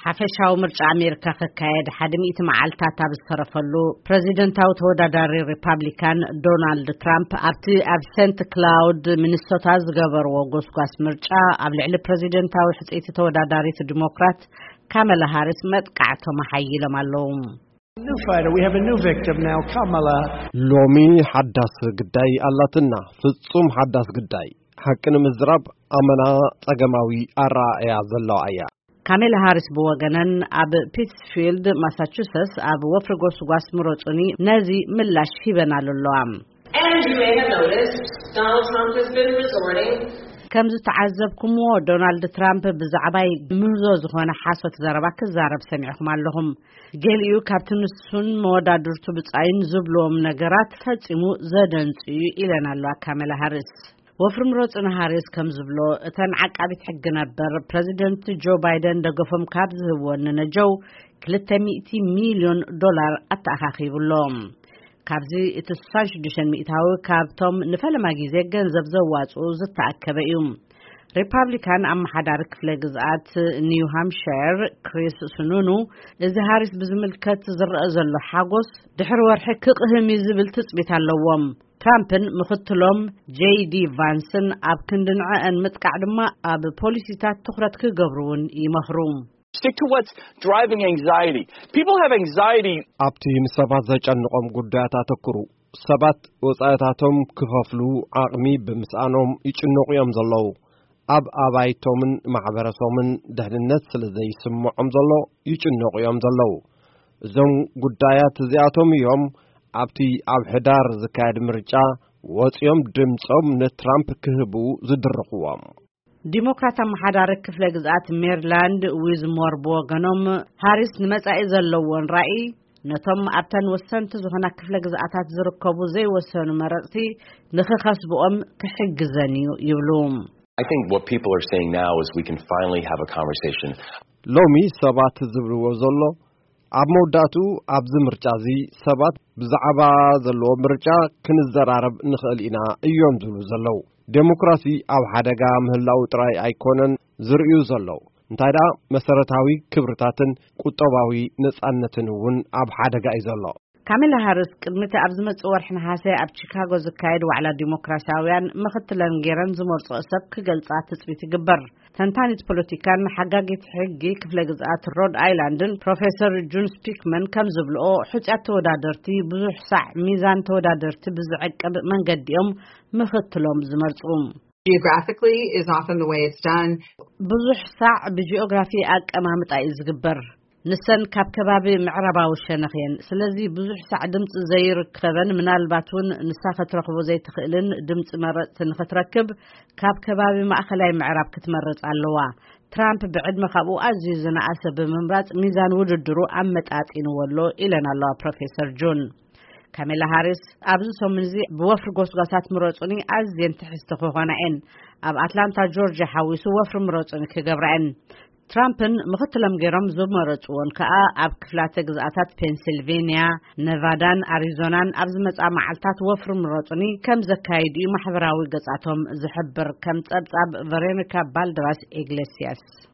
ሓፈሻዊ ምርጫ ኣሜሪካ ክካየድ ሓደ ሚእቲ መዓልታት ኣብ ዝተረፈሉ፣ ፕረዚደንታዊ ተወዳዳሪ ሪፓብሊካን ዶናልድ ትራምፕ ኣብቲ ኣብ ሴንት ክላውድ ሚኒሶታ ዝገበርዎ ጎስጓስ ምርጫ፣ ኣብ ልዕሊ ፕረዚደንታዊ ሕጽይቲ ተወዳዳሪት ዲሞክራት ካመላ ሃሪስ መጥቃዕቶም ኣሓይሎም ኣለዉ። New fighter. We have a new victim now, Kamala. ሎሚ ሓዳስ ግዳይ ኣላትና፣ ፍጹም ሓዳስ ግዳይ። ሓቂ ንምዝራብ፣ ኣመና ጸገማዊ ኣረኣእያ ዘለዋ እያ። ካሜላ ሃሪስ ብወገነን፣ ኣብ ፒትስፊልድ ማሳቹሰትስ ኣብ ወፍሪ ጎስጓስ ምረጹኒ ነዚ ምላሽ ሂበናሉ ኣለዋ። And you may have noticed Donald Trump has been resorting. ከም ዝተዓዘብኩምዎ፣ ዶናልድ ትራምፕ ብዛዕባይ ምህዞ ዝኾነ ሓሶት ዘረባ ክዛረብ ሰሚዕኹም ኣለኹም። ገሊኡ ካብቲ ንሱን መወዳድርቱ ብጻይን ዝብልዎም ነገራት ፈጺሙ ዘደንጹ እዩ ኢለን ኣለዋ ካሜላ ሃሪስ። ወፍሪ ምረጹኒ ሃሪስ ከም ዝብሎ፣ እተን ዓቃቢት ሕጊ ነበር ፕረዚደንት ጆ ባይደን ደገፎም ካብ ዝህብዎ ንነጀው ክልተ ሚእቲ ሚልዮን ዶላር ኣተኣኻኺቡ ኣሎ። ካብዚ እቲ ስሳን ሽዱሽተን ሚእታዊ ካብቶም ንፈለማ ግዜ ገንዘብ ዘዋጽኡ ዝተኣከበ እዩ። ሪፓብሊካን ኣመሓዳሪ ክፍለ ግዝኣት ኒው ሃምፕሸር ክሪስ ሱኑኑ፣ እዚ ሃሪስ ብዝምልከት ዝረአ ዘሎ ሓጎስ ድሕሪ ወርሒ ክቕህም እዩ ዝብል ትጽቢት ኣለዎም። ትራምፕን ምኽትሎም ጄይ ዲ ቫንስን ኣብ ክንዲ ንዕአን ምጥቃዕ ድማ ኣብ ፖሊሲታት ትኹረት ክገብሩ እውን ይመኽሩ። Stick to what's driving anxiety. People have anxiety. ኣብቲ ንሰባት ዘጨንቖም ጉዳያት ኣተኩሩ። ሰባት ወጻኢታቶም ክኸፍሉ ዓቕሚ ብምስኣኖም ይጭነቑ እዮም ዘለዉ። ኣብ ኣባይቶምን ማሕበረሰቦምን ድሕንነት ስለ ዘይስምዖም ዘሎ ይጭነቑ እዮም ዘለዉ። እዞም ጉዳያት እዚኣቶም እዮም ኣብቲ ኣብ ሕዳር ዝካየድ ምርጫ ወጺኦም ድምጾም ንትራምፕ ክህቡ ዝድርኽዎም። ዲሞክራት ኣመሓዳሪ ክፍለ ግዝኣት ሜሪላንድ ዊዝሞር ብወገኖም፣ ሃሪስ ንመጻኢ ዘለዎን ራእይ ነቶም ኣብተን ወሰንቲ ዝኾና ክፍለ ግዝኣታት ዝርከቡ ዘይወሰኑ መረጽቲ ንኽኸስብኦም ክሕግዘን እዩ ይብሉ። I think what people are saying now is we can finally have a conversation. ሎሚ ሰባት ዝብልዎ ዘሎ፣ ኣብ መወዳእቱ ኣብዚ ምርጫ እዚ ሰባት ብዛዕባ ዘለዎ ምርጫ ክንዘራረብ ንኽእል ኢና እዮም ዝብሉ ዘለዉ። ዴሞክራሲ ኣብ ሓደጋ ምህላው ጥራይ ኣይኮነን ዝርእዩ ዘለዉ፣ እንታይ ደኣ መሰረታዊ ክብርታትን ቁጠባዊ ነጻነትን እውን ኣብ ሓደጋ እዩ ዘሎ። ካሜላ ሃሪስ ቅድሚቲ ኣብ ዝመጽእ ወርሒ ነሓሰ ኣብ ቺካጎ ዝካየድ ዋዕላ ዲሞክራሲያውያን ምኽትለን ገይረን ዝመርጽኦ ሰብ ክገልጻ ትጽቢት ይግበር። ተንታኒት ፖለቲካን ሓጋጊት ሕጊ ክፍለ ግዝኣት ሮድ ኣይላንድን ፕሮፌሰር ጁን ስፒክመን ከም ዝብልኦ፣ ሕጹያት ተወዳደርቲ ብዙሕ ሳዕ ሚዛን ተወዳደርቲ ብዝዕቅብ መንገዲ እዮም ምኽትሎም ዝመርጹ። Geographically is often the way it's done. ብዙሕ ሳዕ ብጂኦግራፊ ኣቀማምጣ እዩ ዝግበር። ንሰን ካብ ከባቢ ምዕራባዊ ሸነኽ እየን። ስለዚ ብዙሕ ሳዕ ድምፂ ዘይርከበን ምናልባት እውን ንሳ ክትረኽቦ ዘይትኽእልን ድምፂ መረፅቲ ንክትረክብ ካብ ከባቢ ማእኸላይ ምዕራብ ክትመርፅ ኣለዋ። ትራምፕ ብዕድመ ካብኡ ኣዝዩ ዝነኣሰ ብምምራፅ ሚዛን ውድድሩ ኣመጣጢንዎ ኣሎ ኢለን ኣለዋ ፕሮፌሰር ጁን። ካሜላ ሃሪስ ኣብዚ ሰሙን እዚ ብወፍሪ ጎስጓሳት ምረፁኒ ኣዝየን ትሕዝቲ ክኾና እየን። ኣብ ኣትላንታ ጆርጅያ ሓዊሱ ወፍሪ ምረፁኒ ክገብራ እየን። ትራምፕን ምኽትሎም ገይሮም ዝመረፅዎን ከኣ ኣብ ክፍላተ ግዝኣታት ፔንሲልቬንያ፣ ነቫዳን ኣሪዞናን ኣብ ዝመፅኣ መዓልታት ወፍሪ ምረፁኒ ከም ዘካይዱ እዩ ማሕበራዊ ገጻቶም ዝሕብር፣ ከም ጸብጻብ ቨሮኒካ ባልደራስ ኢግሌስያስ።